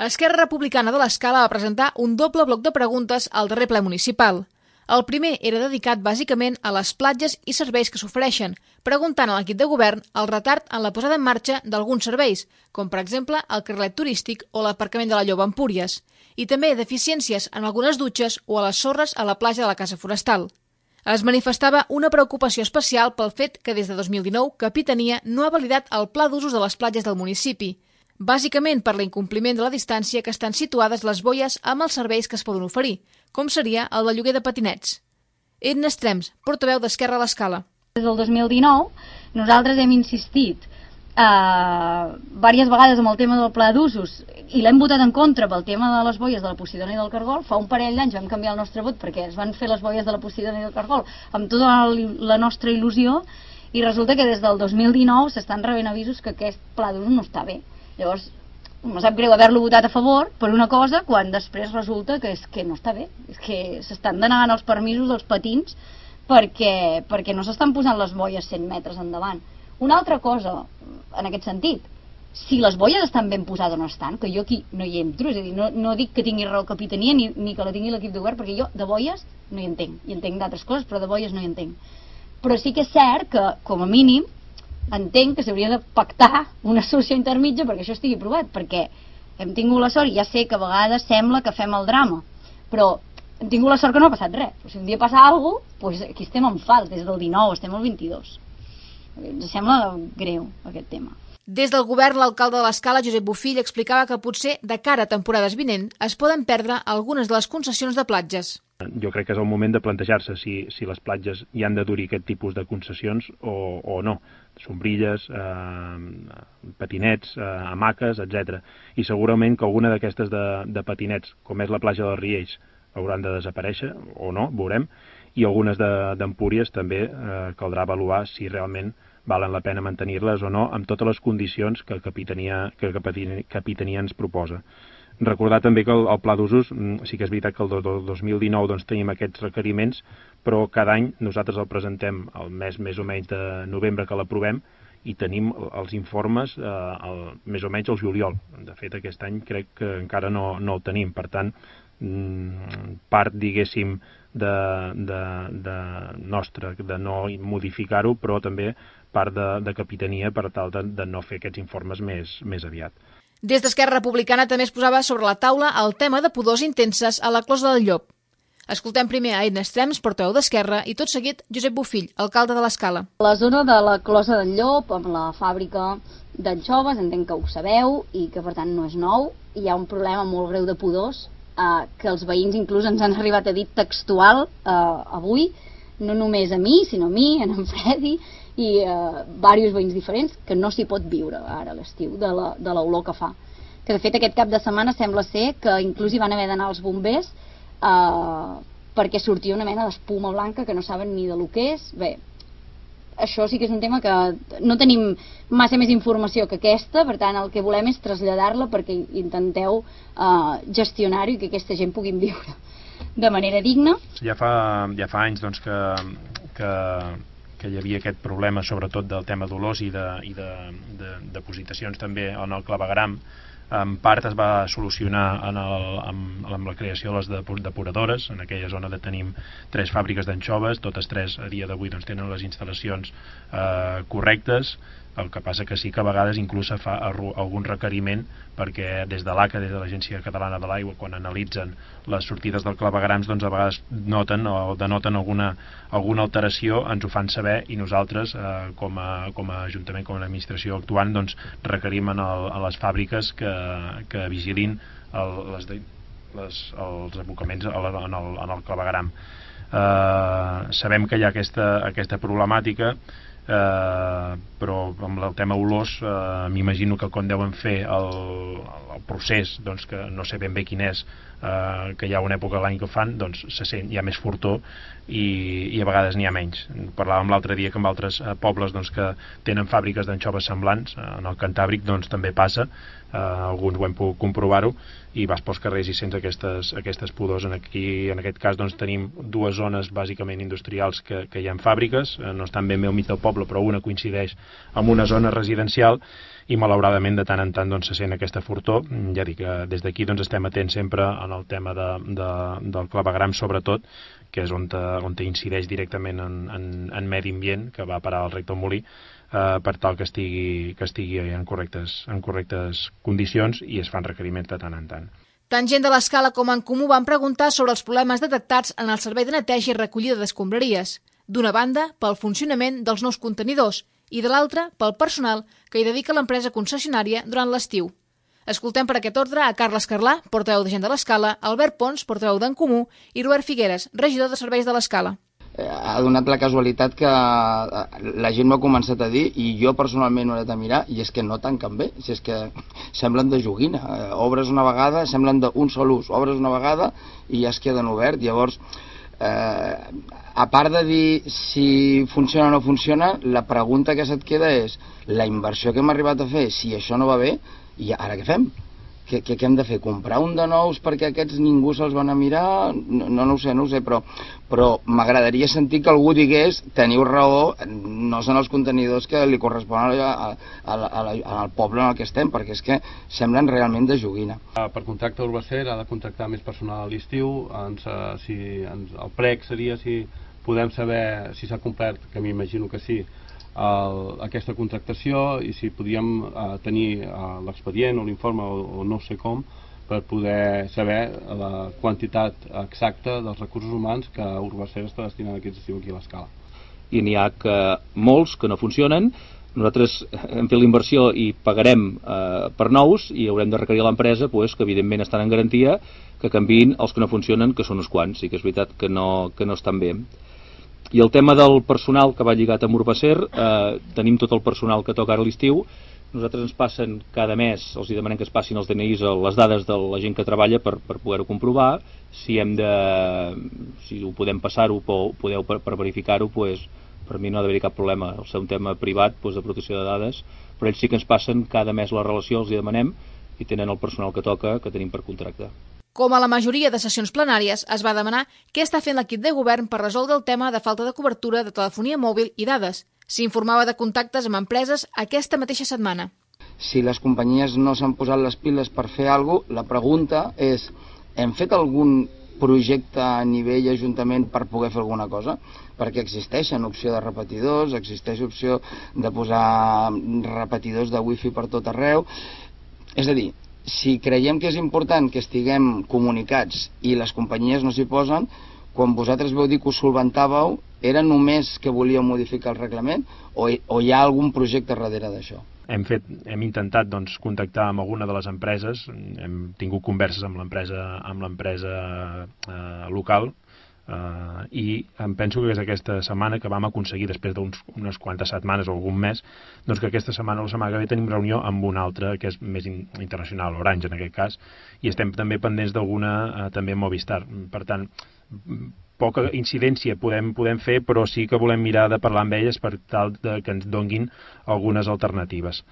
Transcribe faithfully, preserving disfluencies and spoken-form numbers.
Esquerra Republicana de l'Escala va presentar un doble bloc de preguntes al darrer ple municipal. El primer era dedicat bàsicament a les platges i serveis que s'ofereixen, preguntant a l'equip de govern el retard en la posada en marxa d'alguns serveis, com per exemple el carrilet turístic o l'aparcament de la Lloba a Empúries, i també deficiències en algunes dutxes o a les sorres a la platja de la Casa Forestal. Es manifestava una preocupació especial pel fet que des de dos mil dinou Capitania no ha validat el pla d'usos de les platges del municipi, bàsicament per l'incompliment de la distància que estan situades les boies amb els serveis que es poden oferir, com seria el de lloguer de patinets. Edna Estrems, portaveu d'Esquerra a l'Escala. Des del dos mil dinou nosaltres hem insistit eh, diverses vegades amb el tema del pla d'usos i l'hem votat en contra pel tema de les boies de la Posidona i del Cargol. Fa un parell d'anys vam canviar el nostre vot perquè es van fer les boies de la Posidona i del Cargol amb tota la nostra il·lusió i resulta que des del dos mil dinou s'estan rebent avisos que aquest pla d'usos no està bé. Llavors, em sap greu haver-lo votat a favor per una cosa quan després resulta que, és que no està bé. És que s'estan denegant els permisos dels patins perquè, perquè no s'estan posant les boies cent metres endavant. Una altra cosa, en aquest sentit, si les boies estan ben posades o no estan, que jo aquí no hi entro, és a dir, no, no dic que tingui raó Capitania ni, ni que la tingui l'equip de govern, perquè jo de boies no hi entenc, hi entenc d'altres coses, però de boies no hi entenc. Però sí que és cert que, com a mínim, entenc que s'hauria de pactar una solució intermitja perquè això estigui aprovat, perquè hem tingut la sort, i ja sé que a vegades sembla que fem el drama, però hem tingut la sort que no ha passat res. Però si un dia passa alguna cosa, doncs aquí estem en fals, des del dinou, estem al vint-i-dos. Ens sembla greu aquest tema. Des del govern, l'alcalde de l'Escala, Josep Bofill, explicava que potser de cara a temporades vinent es poden perdre algunes de les concessions de platges. Jo crec que és el moment de plantejar-se si, si les platges hi han de dur aquest tipus de concessions o, o no. Sombrilles, eh, patinets, eh, hamaques, etcètera. I segurament que alguna d'aquestes de, de patinets, com és la platja dels Riells, hauran de desaparèixer o no, veurem, i algunes d'Empúries també eh, caldrà avaluar si realment valen la pena mantenir-les o no, amb totes les condicions que Capitania, que Capitania ens proposa. Recordar també que el, el pla d'usos, sí que és veritat que el do, do, dos mil dinou doncs, tenim aquests requeriments, però cada any nosaltres el presentem el mes més o menys de novembre que l'aprovem i tenim els informes eh, el, més o menys al juliol. De fet, aquest any crec que encara no, no el tenim. Per tant, part, diguéssim, de, de, de nostra, de no modificar-ho, però també part de, de Capitania per tal de, de no fer aquests informes més, més aviat. Des d'Esquerra Republicana també es posava sobre la taula el tema de pudors intenses a la Closa del Llop. Escoltem primer a Edna Estrems, portaveu d'Esquerra, i tot seguit Josep Bofill, alcalde de l'Escala. La zona de la Closa del Llop, amb la fàbrica d'anxoves, entenc que ho sabeu, i que per tant no és nou, hi ha un problema molt greu de pudors, eh, que els veïns inclús ens han arribat a dir textual eh, avui, no només a mi, sinó a mi, a en Fredi, i eh, diversos veïns diferents, que no s'hi pot viure ara a l'estiu de l'olor que fa. Que de fet aquest cap de setmana sembla ser que inclús hi van haver d'anar els bombers eh, perquè sortia una mena d'espuma blanca que no saben ni de lo que és. Bé, això sí que és un tema que no tenim massa més informació que aquesta, per tant el que volem és traslladar-la perquè intenteu eh, gestionar-ho i que aquesta gent puguin viure de manera digna. Ja fa, ja fa anys doncs, que, que que hi havia aquest problema sobretot del tema d'olors i de, i de, de, de depositacions també en el clavegram. En part es va solucionar en el, amb, amb la creació de les depuradores. En aquella zona de tenim tres fàbriques d'anxoves, totes tres a dia d'avui doncs, tenen les instal·lacions eh, correctes. El que passa que sí que a vegades inclús se fa algun requeriment perquè des de l'A C A, des de l'Agència Catalana de l'Aigua, quan analitzen les sortides del clavegrams, doncs a vegades noten o denoten alguna, alguna alteració, ens ho fan saber i nosaltres eh, com, a, com a Ajuntament, com a administració actuant, doncs requerim en el, a les fàbriques que, que vigilin el, les, les, els abocaments en el, en el clavegram. Eh, sabem que hi ha aquesta, aquesta problemàtica, Uh, però amb el tema olors uh, m'imagino que quan deuen fer el, el procés, doncs, que no sé ben bé quin és, uh, que hi ha una època de l'any que ho fan, doncs se sent, hi ha més fortor i, i a vegades n'hi ha menys. Parlàvem l'altre dia que en altres uh, pobles doncs, que tenen fàbriques d'anxoves semblants, uh, en el Cantàbric doncs, també passa, uh, alguns ho hem pogut comprovar-ho, i vas pels carrers i sents aquestes, aquestes pudors. En, aquí, en aquest cas doncs, tenim dues zones bàsicament industrials que, que hi ha fàbriques, uh, no estan ben bé al mig del poble, poble, però una coincideix amb una zona residencial, i malauradament de tant en tant doncs, se sent aquesta fortor. Ja dic que des d'aquí doncs, estem atents sempre en el tema de, de, del clavegram sobretot, que és on, te, on te incideix directament en, en, en medi ambient, que va parar al Rector Molí, eh, per tal que estigui, que estigui en, correctes, en correctes condicions, i es fan requeriments de tant en tant. Tant gent de l'Escala com en Comú van preguntar sobre els problemes detectats en el servei de neteja i recollida d'escombraries. D'una banda, pel funcionament dels nous contenidors, i de l'altra, pel personal que hi dedica l'empresa concessionària durant l'estiu. Escoltem per aquest ordre a Carles Carlà, portaveu de Gent de l'Escala, Albert Pons, portaveu d'en Comú, i Robert Figueres, regidor de serveis de l'Escala. Ha donat la casualitat que la gent m'ha començat a dir, i jo personalment ho he de mirar, i és que no tanquen bé, si és que semblen de joguina. Obres una vegada, semblen d'un sol ús, obres una vegada i ja es queden obert. Llavors, eh, a part de dir si funciona o no funciona, la pregunta que se't queda és la inversió que hem arribat a fer, si això no va bé, i ara què fem? Què, què, què hem de fer? Comprar un de nous perquè aquests ningú se'ls van a mirar? No, no, no ho sé, no ho sé, però, però m'agradaria sentir que algú digués teniu raó, no són els contenidors que li corresponen a, a, a, a, a, al poble en el que estem, perquè és que semblen realment de joguina. Per contracte Urbacer ha de contractar més personal a l'estiu. Ens, si, ens, el prec seria si podem saber si s'ha complert, que m'imagino que sí, el, aquesta contractació, i si podíem uh, tenir uh, l'expedient o l'informe o, o no sé com, per poder saber la quantitat exacta dels recursos humans que Urbacer està destinant aquest estiu aquí a l'Escala. I n'hi ha que, molts que no funcionen. Nosaltres hem fet la inversió i pagarem eh, per nous, i haurem de requerir a l'empresa pues, que evidentment estan en garantia, que canviïn els que no funcionen, que són uns quants, i que és veritat que no, que no estan bé. I el tema del personal que va lligat amb Urbacer, eh, tenim tot el personal que toca ara a l'estiu. Nosaltres ens passen cada mes, els demanem que es passin els D N Is, les dades de la gent que treballa per, per poder-ho comprovar. Si hem de, si ho podem passar-ho, podeu per, per verificar-ho, pues, per mi no ha d'haver cap problema. El seu tema privat, pues, de protecció de dades, però ells sí que ens passen cada mes la relació, els hi demanem, i tenen el personal que toca, que tenim per contracte. Com a la majoria de sessions plenàries, es va demanar què està fent l'equip de govern per resoldre el tema de falta de cobertura de telefonia mòbil i dades. S'informava de contactes amb empreses aquesta mateixa setmana. Si les companyies no s'han posat les piles per fer alguna cosa, la pregunta és, hem fet algun projecte a nivell ajuntament per poder fer alguna cosa? Perquè existeixen opció de repetidors, existeix opció de posar repetidors de wifi per tot arreu. És a dir, si creiem que és important que estiguem comunicats i les companyies no s'hi posen, quan vosaltres veu dir que ho solventàveu, era només que volíeu modificar el reglament o, o hi ha algun projecte darrere d'això? Hem, fet, hem intentat doncs, contactar amb alguna de les empreses, hem tingut converses amb l'empresa amb l'empresa eh, local, Uh, i em penso que és aquesta setmana que vam aconseguir, després d'unes quantes setmanes o algun mes, doncs que aquesta setmana o la setmana que ve tenim reunió amb una altra que és més in internacional, Orange en aquest cas, i estem també pendents d'alguna uh, també Movistar. Per tant, poca incidència podem, podem fer, però sí que volem mirar de parlar amb elles per tal de que ens donguin algunes alternatives.